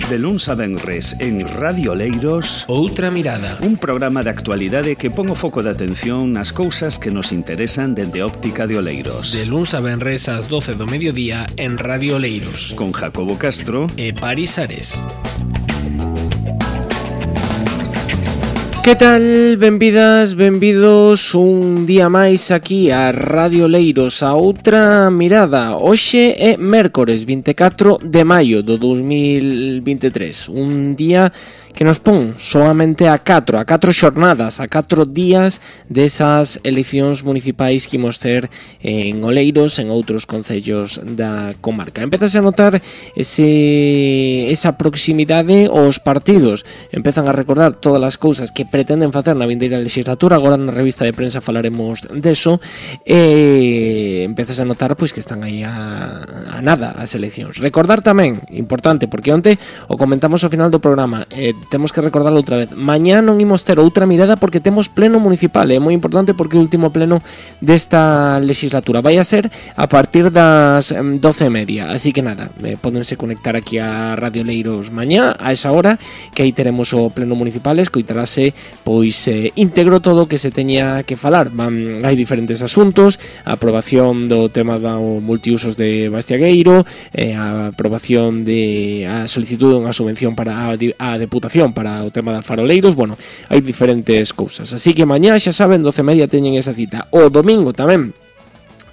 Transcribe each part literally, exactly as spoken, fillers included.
De luns a venres en Radio Oleiros, Outra Mirada, un programa de actualidade que pon o foco de atención nas cousas que nos interesan dende a óptica de Oleiros. De luns a venres ás doce do mediodía en Radio Oleiros, con Jacobo Castro e Paris Ares. Que tal? Benvidas, benvidos un día máis aquí a Radio Oleiros, a Outra Mirada. Hoxe é mércores vinte e catro de maio do dos mil vinte e tres, un día que nos pon solamente a catro, a catro xornadas, a catro días desas eleccións municipais que imos ter en Oleiros, en outros concellos da comarca. Empezase a notar ese, esa proximidade aos partidos, empezan a recordar todas as cousas que pretenden facer na vindeira legislatura. Agora na revista de prensa falaremos deso, e empezase a notar pois que están aí a, a nada as eleccións. Recordar tamén, importante, porque onte o comentamos ao final do programa, eh, temos que recordarlo outra vez, mañá non imos ter Outra Mirada porque temos pleno municipal, é moi importante porque é o último pleno desta legislatura, vai a ser a partir das doce e media, así que nada, eh, podense conectar aquí a Radio Oleiros mañá a esa hora, que aí teremos o pleno municipal, escoitarase pois eh, íntegro todo o que se teña que falar. Van, hai diferentes asuntos, a aprobación do tema do multiusos de Bastiagueiro, eh, a aprobación de a solicitud dunha subvención para a, a deputación para o tema das faroleiros. Bueno, hai diferentes cousas, así que mañá xa saben, doce e media teñen esa cita. O domingo tamén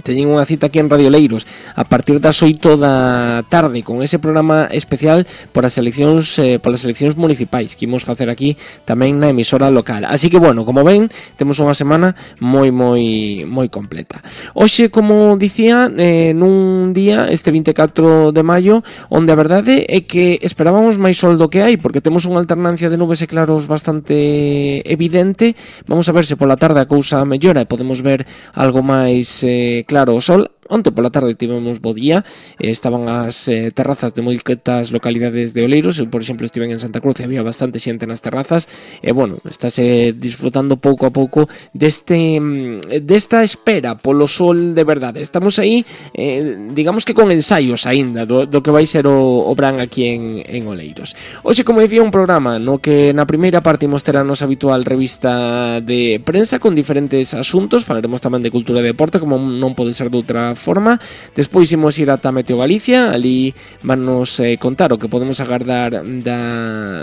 teñen unha cita aquí en Radio Oleiros a partir das oito da tarde con ese programa especial por as eleccións eh, polas eleccións municipais que imos facer aquí tamén na emisora local. Así que bueno, como ven, temos unha semana moi moi moi completa. Hoxe, como dicía, eh, nun día este vinte e catro de maio onde a verdade é que esperábamos máis sol do que hai, porque temos unha alternancia de nubes e claros bastante evidente. Vamos a ver se pola tarde a cousa mellora e podemos ver algo máis eh, claro o sol. Onte pola tarde tivemos bo día, eh, estaban as eh, terrazas de moitas localidades de Oleiros. Eu, por exemplo, estive en Santa Cruz e había bastante xente nas terrazas, e bueno, estáse disfrutando pouco a pouco deste desta espera polo sol de verdade. Estamos aí, eh, digamos que con ensaios aínda do, do que vai ser o, o Bran aquí en, en Oleiros. Hoxe, como dicía, un programa no que na primeira parte imos ter a nosa habitual revista de prensa con diferentes asuntos, falaremos tamén de cultura e deporte, como non pode ser de outra forma. Despois imos ir ata Meteo Galicia, ali vannos eh, contar o que podemos agardar da,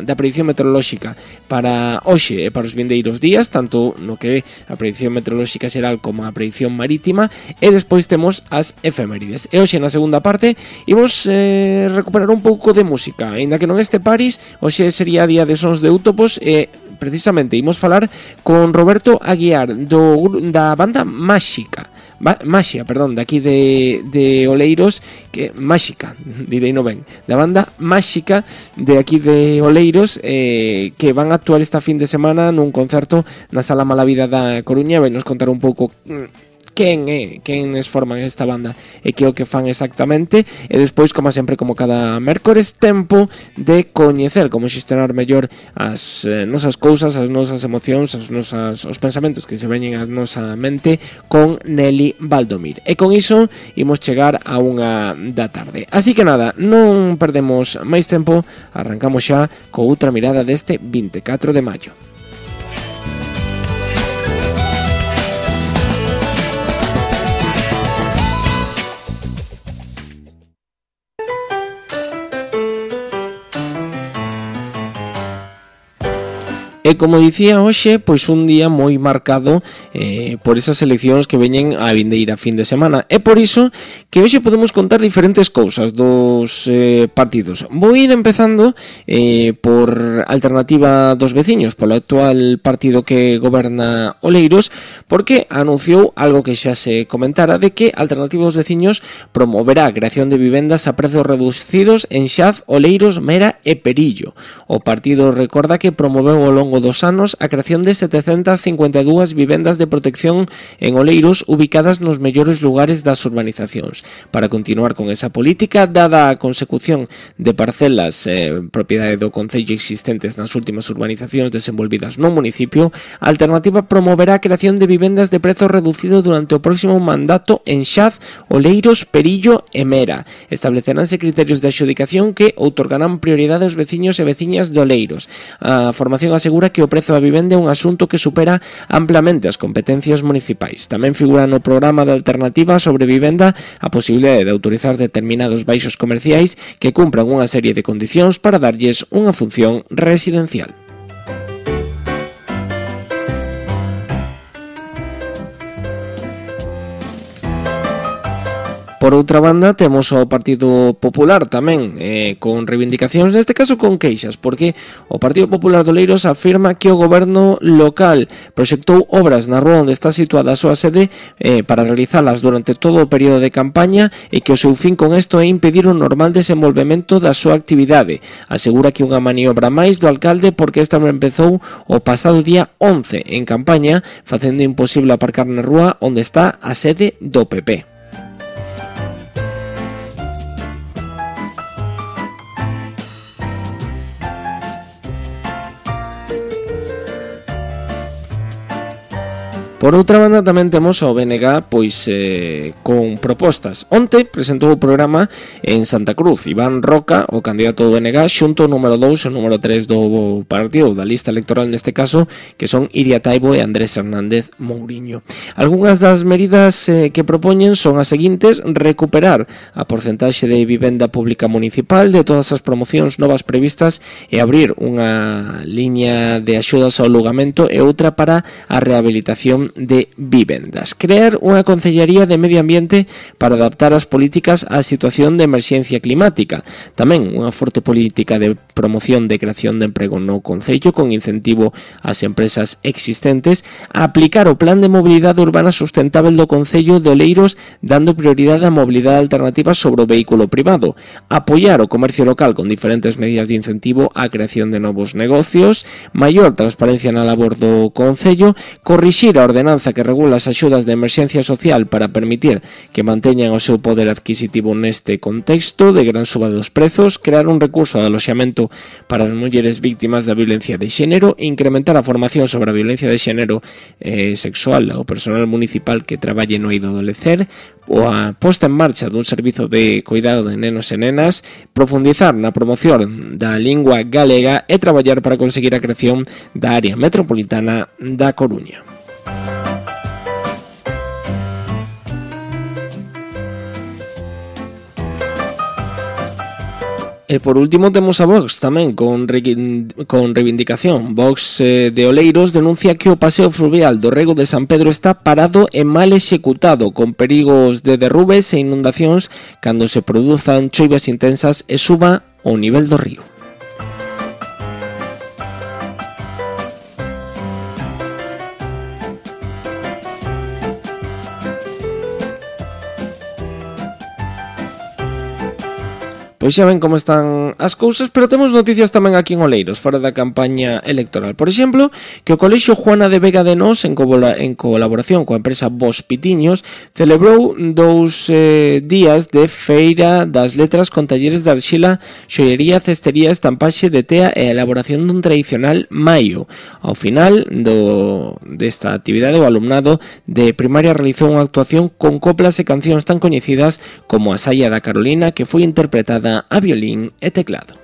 da predicción meteorolóxica para hoxe e para os vindeiros días, tanto no que é a predicción meteorolóxica xeral como a predicción marítima, e despois temos as efemérides. E hoxe na segunda parte imos eh, recuperar un pouco de música, aínda que non este Paris, hoxe sería día de sons de Útopos, e precisamente imos falar con Roberto Aguiar do, da banda Máxica Ba- Maxia, perdón, de aquí de, de Oleiros, que Máxica, direi non ben, da banda Máxica de aquí de Oleiros, eh, que van a actuar esta fin de semana nun concerto na Sala Malavida da Coruña. Vai nos contar un pouco quen é, quenes forman esta banda e que o que fan exactamente, e despois, como sempre, como cada mércores, tempo de coñecer como xestionar mellor as eh, nosas cousas, as nosas emocións, as nosas, os pensamentos que se veñen á nosa mente con Nelly Valdomir. E con iso imos chegar a unha da tarde. Así que nada, non perdemos máis tempo, arrancamos xa co Outra Mirada deste vinte e catro de maio. E como dicía, hoxe, pois un día moi marcado eh, por esas eleccións que veñen a vindeira fin de semana. É por iso que hoxe podemos contar diferentes cousas dos eh, partidos. Vou ir empezando eh, por Alternativa dos Veciños, polo actual partido que goberna Oleiros, porque anunciou algo que xa se comentara, de que Alternativa dos Veciños promoverá a creación de vivendas a prezos reducidos en Xaz, Oleiros, Mera e Perillo. O partido recorda que promoveu ao longo longo dos anos a creación de setecentas cincuenta e dúas vivendas de protección en Oleiros ubicadas nos mellores lugares das urbanizacións. Para continuar con esa política, dada a consecución de parcelas eh, propiedade do Concello existentes nas últimas urbanizacións desenvolvidas no municipio, a Alternativa promoverá a creación de vivendas de prezo reducido durante o próximo mandato en Xaz, Oleiros, Perillo e Mera. Estableceránse criterios de adxudicación que outorgarán prioridade aos veciños e veciñas de Oleiros. A formación asegura que o prezo da vivenda é un asunto que supera amplamente as competencias municipais. Tamén figura no programa de Alternativa sobre vivenda a posibilidade de autorizar determinados baixos comerciais que cumpran unha serie de condicións para darlles unha función residencial. Por outra banda, temos ao Partido Popular tamén, eh, con reivindicacións, neste caso con queixas, porque o Partido Popular de Oleiros afirma que o goberno local proxectou obras na rúa onde está situada a súa sede eh, para realizalas durante todo o período de campaña e que o seu fin con isto é impedir o normal desenvolvemento da súa actividade. Asegura que unha maniobra máis do alcalde porque esta empezou o pasado día once en campaña, facendo imposible aparcar na rúa onde está a sede do P P. Por outra banda, tamén temos ao B N G pois eh, con propostas. Onte presentou o programa en Santa Cruz. Iván Roca, o candidato do B N G, xunto o número dous e o número tres do partido, da lista electoral neste caso, que son Iria Taibo e Andrés Hernández Mouriño. Algúnas das medidas eh, que propoñen son as seguintes: recuperar a porcentaxe de vivenda pública municipal de todas as promocións novas previstas e abrir unha liña de axudas ao alugamento e outra para a rehabilitación de vivendas. Crear unha Concellaría de Medio Ambiente para adaptar as políticas á situación de emerxencia climática. Tamén unha forte política de promoción de creación de emprego no Concello con incentivo ás empresas existentes, a aplicar o Plan de Mobilidade Urbana Sustentável do Concello de Oleiros dando prioridade á mobilidade alternativa sobre o vehículo privado, apoiar o comercio local con diferentes medidas de incentivo á creación de novos negocios, maior transparencia na labor do Concello, corrixir a ordenanza que regula as axudas de emerxencia social para permitir que manteñan o seu poder adquisitivo neste contexto de gran suba dos prezos, crear un recurso de aloxamento para as mulleres víctimas da violencia de xénero, incrementar a formación sobre a violencia de xénero eh, sexual ao personal municipal que traballe no eido adolecer, ou a posta en marcha dun servizo de cuidado de nenos e nenas, profundizar na promoción da lingua galega e traballar para conseguir a creación da área metropolitana da Coruña. E por último temos a Vox tamén con, re, con reivindicación. Vox eh, de Oleiros denuncia que o paseo fluvial do Rego de San Pedro está parado e mal executado, con perigos de derrubes e inundacións cando se produzan choivas intensas e suba o nivel do río. Pois xa ven como están as cousas, pero temos noticias tamén aquí en Oleiros, fora da campaña electoral. Por exemplo, que o Colexio Juana de Vega de Nós, en, co- en colaboración coa empresa Vos Pitiños, celebrou dous eh, días de feira das letras con talleres de arxila, xoiería, cestería, estampaxe de tea e a elaboración dun tradicional maio. Ao final do, desta actividade, o alumnado de primaria realizou unha actuación con coplas e cancións tan coñecidas como a Saia da Carolina, que foi interpretada a violín e teclado.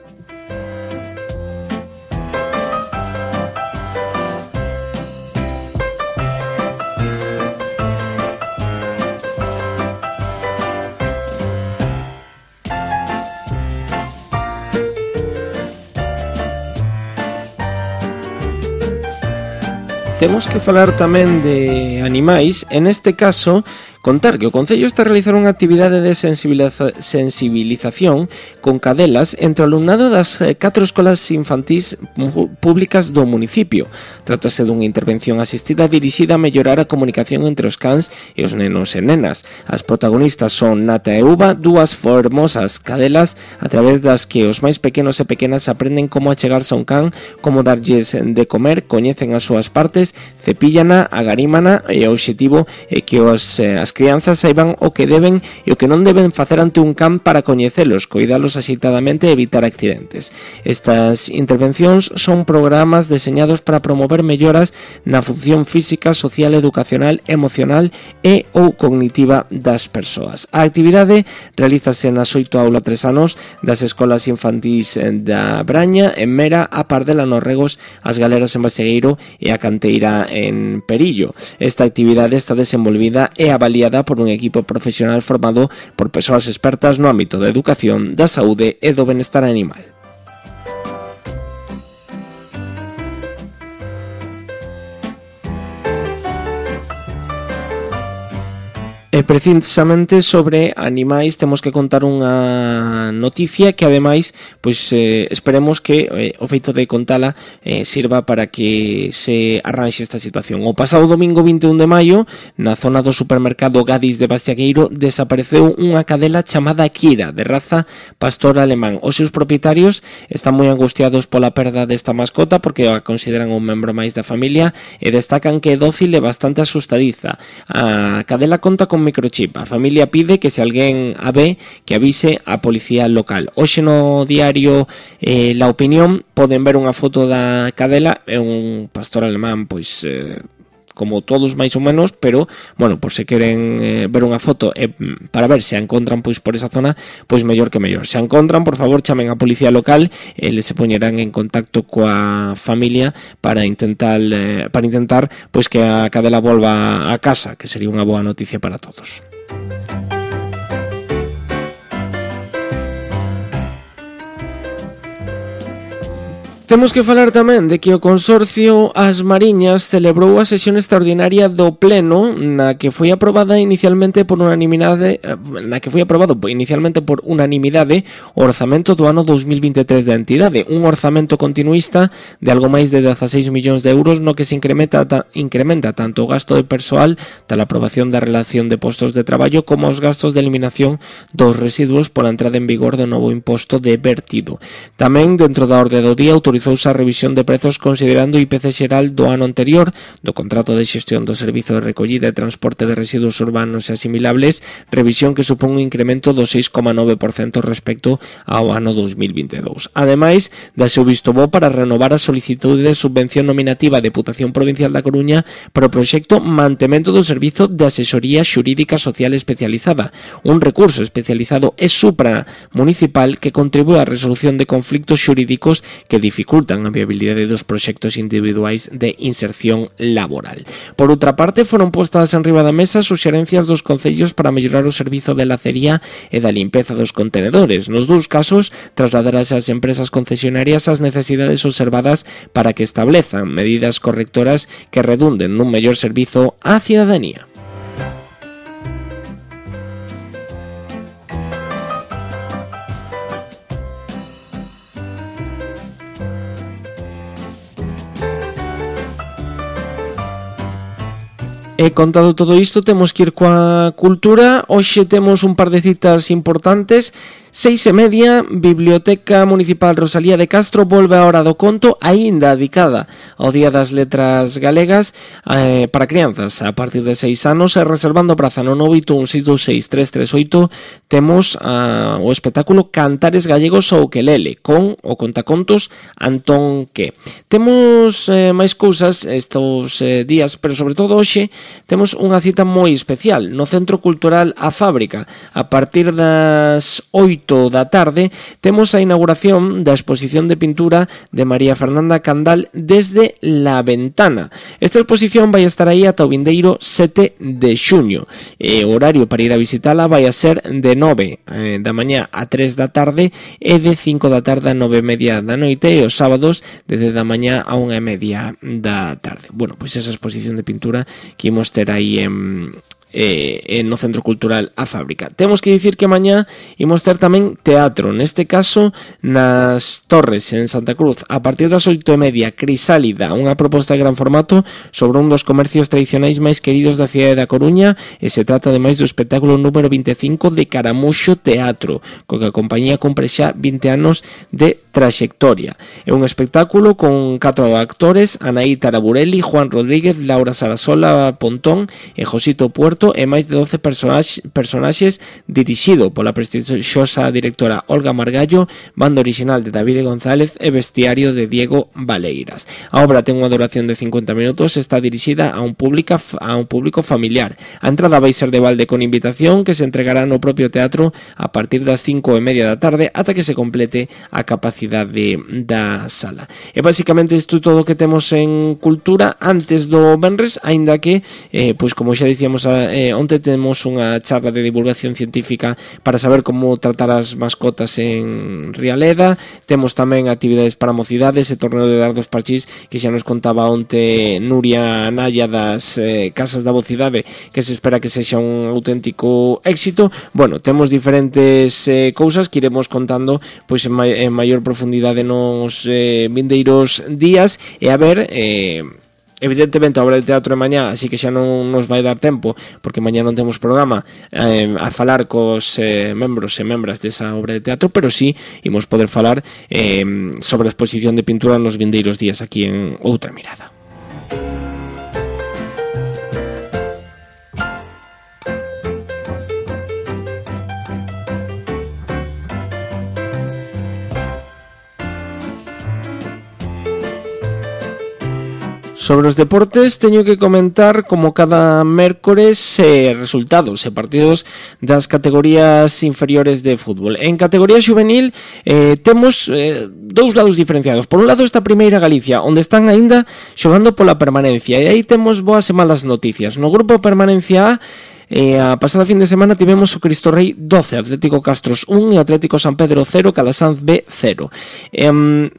Temos que falar tamén de animais, en este caso Contar que o Concello está a realizar unha actividade de sensibiliza- sensibilización con cadelas entre o alumnado das catro escolas infantís públicas do municipio. Trátase dunha intervención asistida dirixida a mellorar a comunicación entre os cans e os nenos e nenas. As protagonistas son Nata e Uva, dúas formosas cadelas a través das que os máis pequenos e pequenas aprenden como achegarse a un can, como darlles de comer, coñecen as súas partes, cepíllana, agarímana e o obxectivo é que os, eh, as crianzas saiban o que deben e o que non deben facer ante un can para coñecelos, coidalos axeitadamente e evitar accidentes. Estas intervencións son programas deseñados para promover melloras na función física, social, educacional, emocional e ou cognitiva das persoas. A actividade realízase nas oito aulas tres anos das escolas infantís da Braña, en Mera, a Pardela nos Regos, as Galeras en Basegueiro e a Canteira en Perillo. Esta actividade está desenvolvida e avaliada por un equipo profesional formado por persoas expertas no ámbito da educación, da saúde e do benestar animal. E precisamente sobre animais temos que contar unha noticia que ademais pois eh, esperemos que eh, o feito de contala eh, sirva para que se arranxe esta situación. O pasado domingo vinte e un de maio, na zona do supermercado Gadis de Bastiagueiro, desapareceu unha cadela chamada Kira, de raza pastor alemán. Os seus propietarios están moi angustiados pola perda desta mascota porque a consideran un membro máis da familia e destacan que é dócil e bastante asustadiza. A cadela conta con microchip. A familia pide que se alguén a ve que avise a policía local. Hoxe no diario eh, La Opinión poden ver unha foto da cadela, é un pastor alemán pois eh, como todos máis ou menos, pero bueno, por se queren eh, ver unha foto e eh, para ver se a encontran pois por esa zona, pois mellor que mellor. Se a encontran, por favor, chamen a policía local e les se poñerán en contacto coa familia para intentar eh, para intentar pois que a cadela volva a casa, que sería unha boa noticia para todos. Temos que falar tamén de que o Consorcio As Mariñas celebrou a sesión extraordinaria do Pleno na que foi aprobada inicialmente por unanimidade na que foi aprobado inicialmente por unanimidade o orzamento do ano dos mil vinte e tres da entidade, un orzamento continuista de algo máis de dezaseis millóns de euros no que se incrementa ta, incrementa tanto o gasto de persoal tal aprobación da relación de postos de traballo como os gastos de eliminación dos residuos pola entrada en vigor do novo imposto de vertido. Tamén dentro da orde do día autorizouse a revisión de prezos considerando o I P C xeral do ano anterior do contrato de xestión do servizo de recollida e transporte de residuos urbanos e asimilables, revisión que supón un incremento do seis coma nove por cento respecto ao ano dos mil vinte e dous. Ademais, dase o visto bo para renovar a solicitude de subvención nominativa a Deputación Provincial da Coruña para o proxecto Mantemento do Servizo de Asesoría Xurídica Social Especializada, un recurso especializado e supramunicipal que contribúe á resolución de conflictos xurídicos que dificultan dificultan a viabilidade dos proxectos individuais de inserción laboral. Por outra parte, foron postas en riba da mesa suxerencias dos concellos para mellorar o servizo de lacería e da limpeza dos contenedores. Nos dous casos, trasladarase ás empresas concesionarias as necesidades observadas para que establezan medidas correctoras que redunden nun mellor servizo á cidadanía. E contado todo isto, temos que ir coa cultura. Hoxe temos un par de citas importantes. Seis e media, Biblioteca Municipal Rosalía de Castro volve a hora do conto, aínda dedicada ao Día das Letras Galegas eh, para crianzas a partir de seis anos, e reservando praza no nove oito un seis dous seis tres tres oito temos uh, o espectáculo Cantares Gallegos ao Ukelele con o contacontos Antón Que. Temos eh, máis cousas estos eh, días, pero sobre todo hoxe temos unha cita moi especial no Centro Cultural A Fábrica. A partir das oito da tarde temos a inauguración da exposición de pintura de María Fernanda Candal Desde la Ventana. Esta exposición vai estar aí ata o vindeiro sete de xuño. E o horario para ir a visitala vai a ser de nove eh, da mañá a tres da tarde e de cinco da tarde a nove e media da noite, e os sábados desde da mañá a unha e media da tarde. Bueno, pois esa exposición de pintura que imos ter aí en eh, no Centro Cultural A Fábrica. Temos que dicir que mañá imos ter tamén teatro, neste caso nas Torres, en Santa Cruz, a partir das oito e media, Crisálida, unha proposta de gran formato sobre un dos comercios tradicionais máis queridos da cidade da Coruña, e se trata ademais do espectáculo número vinte e cinco de Caramuxo Teatro, co que a compañía cumpre xa vinte anos de traxectoria. É un espectáculo con catro actores, Anaí Taraburelli, Juan Rodríguez, Laura Sarasola Pontón e Josito Puerto, e máis de doce personaxes, personaxes dirixido pola prestixiosa directora Olga Margallo, banda original de David González e vestiario de Diego Valeiras. A obra ten unha duración de cincuenta minutos, está dirixida a un público a un público familiar. A entrada vai ser de balde con invitación, que se entregará no propio teatro a partir das cinco e media da tarde ata que se complete a capacidade da sala. E basicamente isto todo que temos en cultura antes do venres, aínda que eh, pois como xa dicíamos eh, onte temos unha charla de divulgación científica para saber como tratar as mascotas en Rialeda. Temos tamén actividades para mocidades e torneo de dardos parchís que xa nos contaba onte Nuria Naya das eh, Casas da Vocidade, que se espera que sexa un auténtico éxito. Bueno, temos diferentes eh, cousas que iremos contando pois en, ma- en maior profundidade nos eh, vindeiros días, e a ver, eh, evidentemente a obra de teatro é mañá, así que xa non nos vai dar tempo porque mañá non temos programa eh, a falar cos eh, membros e membras desa obra de teatro, pero sí imos poder falar eh, sobre a exposición de pintura nos vindeiros días aquí en Outra Mirada. Sobre os deportes teño que comentar como cada mércores eh, resultados e partidos das categorías inferiores de fútbol. En categoría xuvenil eh, temos eh, dous lados diferenciados. Por un lado está a Primeira Galicia, onde están aínda xogando pola permanencia, e aí temos boas e malas noticias. No grupo Permanencia A, E a pasada fin de semana tivemos o Cristo Rei doce, Atlético Castros un e Atlético San Pedro cero, Calasanz B cero. E,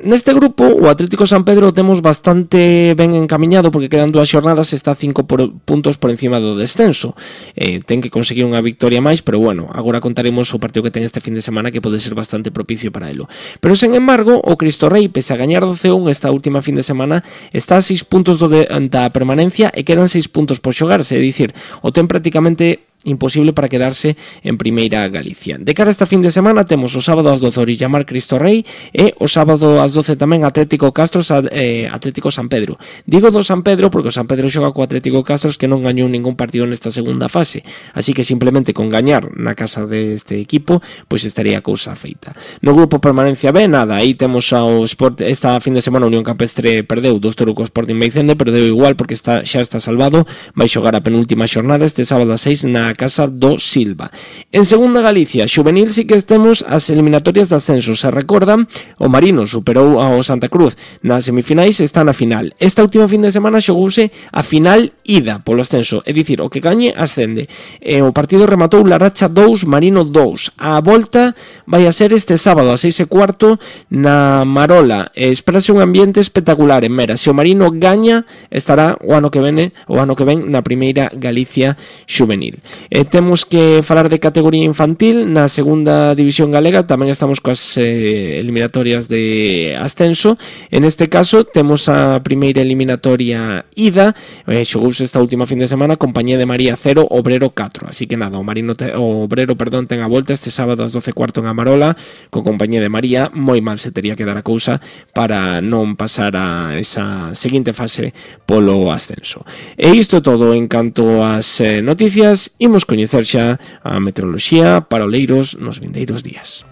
neste grupo o Atlético San Pedro temos bastante ben encamiñado porque quedan dúas xornadas, está cinco por, puntos por encima do descenso. E, ten que conseguir unha victoria máis, pero bueno, agora contaremos o partido que ten este fin de semana, que pode ser bastante propicio para elo. Pero sen embargo, o Cristo Rei, pese a gañar doce un esta última fin de semana, está a seis puntos do de, da permanencia e quedan seis puntos por xogarse, é dicir, o ten prácticamente imposible para quedarse en Primeira Galicia. De cara a esta fin de semana temos o sábado ás doce Orillamar Cristo Rei e o sábado ás doce tamén Atlético Castros eh, Atlético San Pedro. Digo do San Pedro porque o San Pedro xoga co Atlético Castros, que non gañou ningún partido nesta segunda fase, así que simplemente con gañar na casa deste equipo pois estaría a cousa feita. No grupo Permanencia B, nada, aí temos ao Sport, esta fin de semana Unión Campestre perdeu dos Toruco Sporting Meicende, perdeu igual porque está, xa está salvado, vai xogar a penúltima xornada este sábado a seis na casa do Silva. En segunda Galicia, xuvenil sí que estemos as eliminatorias de ascenso. Se recordan, o Marino superou ao Santa Cruz nas semifinais, está na final. Esta última fin de semana xogouse a final ida polo ascenso, é dicir, o que gañe ascende. E o partido rematou Laracha dous, Marino dous. A volta vai a ser este sábado a seis e cuarto na Marola. E espérase un ambiente espectacular en Mera. Se o Marino gaña, estará o ano que vene, o ano que ven na Primeira Galicia xuvenil. E temos que falar de categoría infantil. Na segunda división galega tamén estamos coas eh, eliminatorias de ascenso. En este caso temos a primeira eliminatoria ida, eh, xogouse esta última fin de semana, Compañía de María cero, Obrero catro. Así que nada, o Marino te, o Obrero, perdón, ten a volta este sábado ás doce e cuarto en Amarola co Compañía de María. Moi mal se tería que dar a cousa para non pasar a esa seguinte fase polo ascenso. E isto todo en canto ás eh, noticias. Imos coñecer xa a meteoroloxía para Oleiros nos vindeiros días.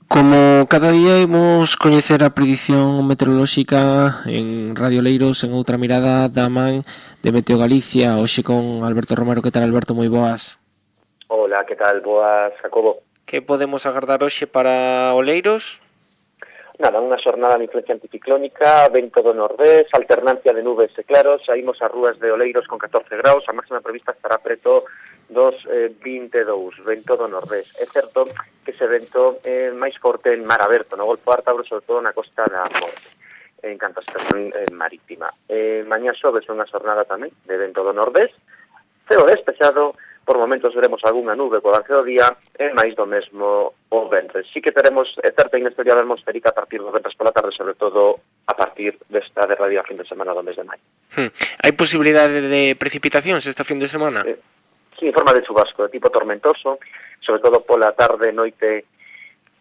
Como cada día imos coñecer a predición meteorolóxica en Radio Oleiros en Outra Mirada da man de Meteo Galicia, hoxe con Alberto Romero. Que tal, Alberto? Moi boas. Hola, que tal? Boas, Jacobo. Que podemos agardar hoxe para Oleiros? Nada, unha xornada de influencia anticiclónica, vento do nordés, alternancia de nubes e claros, saímos ás rúas de Oleiros con catorce graus, a máxima prevista estará preto dos eh, vinte e dous, vento do nordés. É certo que ese vento é máis forte en mar aberto, no Golfo Ártabro, sobre todo na costa da Morte. en canto a estación eh, marítima. Eh, mañá xoves unha xornada tamén de vento do nordés, ceo despexado, por momentos veremos algunha nube co avance do día e máis do mesmo o ventres. Sí que teremos certa inestabilidade atmosférica a partir do ventres pola tarde, sobre todo a partir desta derradeira fin de semana do mes de maio. Hmm. Hai posibilidade de precipitacións esta fin de semana? Eh, sí, en forma de chubasco, de tipo tormentoso, sobre todo pola tarde, noite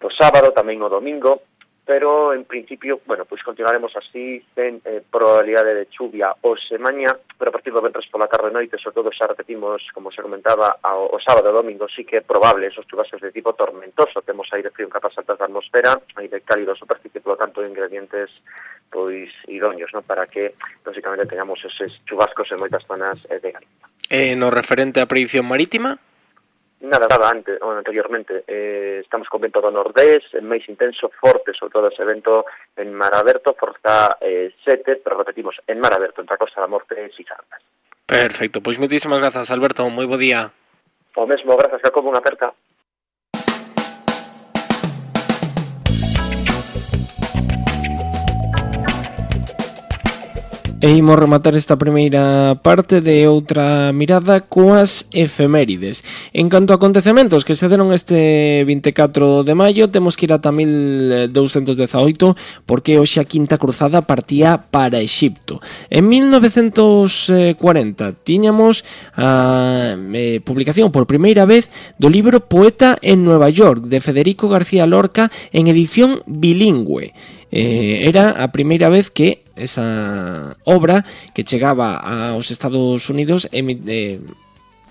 do sábado, tamén o domingo, pero en principio, bueno, pois continuaremos así, sen eh, probabilidade de chuvia hoxe mañá, pero a partir do ventres pola tarde noite, sobre todo xa repetimos, como se comentaba, ao, o sábado e domingo, sí que é probable esos chubascos de tipo tormentoso, temos aire frío en capas altas da atmosfera, aire cálido superficie, por lo tanto, ingredientes pois idóneos, ¿no?, para que, lógicamente, tengamos eses chubascos en moitas zonas eh, de Galicia. Eh, no referente á predicción marítima? Nada, nada, antes, ou anteriormente, eh, estamos con vento do nordés, máis intenso, forte, sobre todo ese vento en mar aberto, forza eh, sete, pero repetimos, en mar aberto, entre a Costa da Morte e Sisargas. Perfecto, pois moitísimas grazas, Alberto, moi bo día. O mesmo, grazas, Jacobo, unha aperta. E imos rematar esta primeira parte de outra mirada coas efemérides. En canto a acontecementos que se deron este vinte e catro de maio, temos que ir ata mil douscentos dezaoito, porque hoxe a Quinta Cruzada partía para Exipto. En mil novecentos cuarenta tiñamos a eh, publicación por primeira vez do libro Poeta en Nueva York, de Federico García Lorca, en edición bilingüe. Eh, era a primeira vez que esa obra que chegaba aos Estados Unidos eh,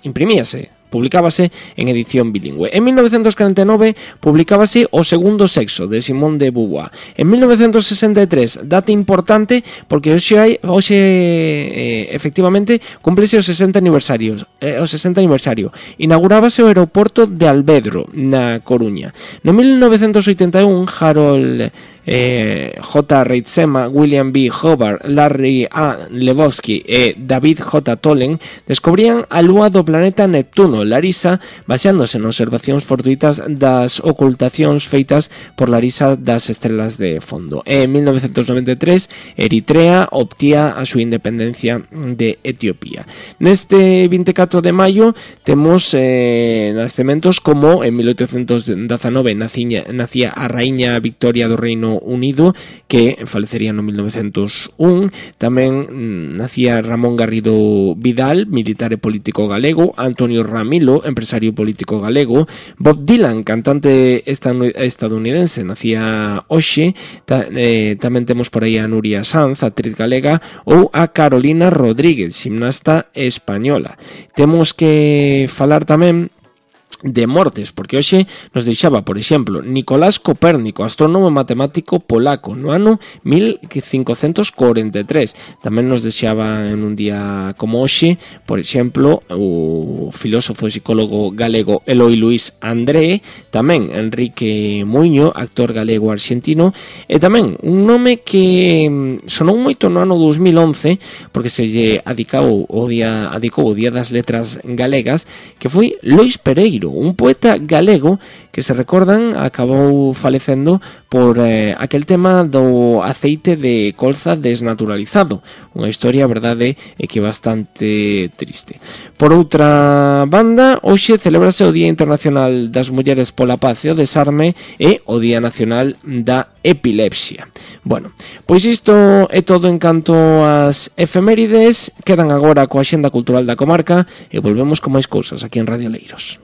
imprimíase, publicábase en edición bilingüe. En mil novecentos cuarenta e nove publicábase O Segundo Sexo, de Simone de Beauvoir. En mil novecentos sesenta e tres, data importante porque hoxe hai, hoxe eh, efectivamente cúmplese o sesenta aniversario, eh, o sesenta aniversario. Inaugurábase o aeroporto de Albedro, na Coruña. No mil novecentos oitenta e un, Harold Eh, J. Reitzema, William B. Hubbard, Larry A. Lebowski e David J. Tolen descubrían a lúa do planeta Neptuno, Larisa, baseándose en observacións fortuitas das ocultacións feitas por Larisa das estrelas de fondo. E en mil novecentos noventa e tres, Eritrea obtía a súa independencia de Etiopía. Neste vinte e catro de maio temos eh, nacementos como en mil oitocentos dezanove nacía, nacía a raíña Victoria do Reino Unido, que falecería no mil novecentos un. Tamén mm, nacía Ramón Garrido Vidal, militar e político galego. Antonio Ramilo, empresario político galego. Bob Dylan, cantante estadounidense, nacía hoxe. Ta, eh, tamén temos por aí a Nuria Sanz, actriz galega, ou a Carolina Rodríguez, gimnasta española. Temos que falar tamén de mortes, porque hoxe nos deixaba, por exemplo, Nicolás Copérnico, astrónomo matemático polaco, no ano mil cincocentos cuarenta e tres. Tamén nos deixaba en un día como hoxe, por exemplo, o filósofo e psicólogo galego Eloi Luis André, tamén Enrique Muiño, actor galego argentino, e tamén un nome que sonou moito no ano dos mil once, porque se lle adicou o día, adicou o Día das Letras Galegas, que foi Lois Pereiro, un poeta galego que, se recordan, acabou falecendo por eh, aquel tema do aceite de colza desnaturalizado. Unha historia, a verdade, é que bastante triste. Por outra banda, hoxe celebrase o Día Internacional das Mulleres pola Paz e o Desarme e o Día Nacional da Epilepsia. Bueno, pois isto é todo en canto ás efemérides. Quedan agora coa Axenda Cultural da Comarca e volvemos con máis cousas aquí en Radio Leiros.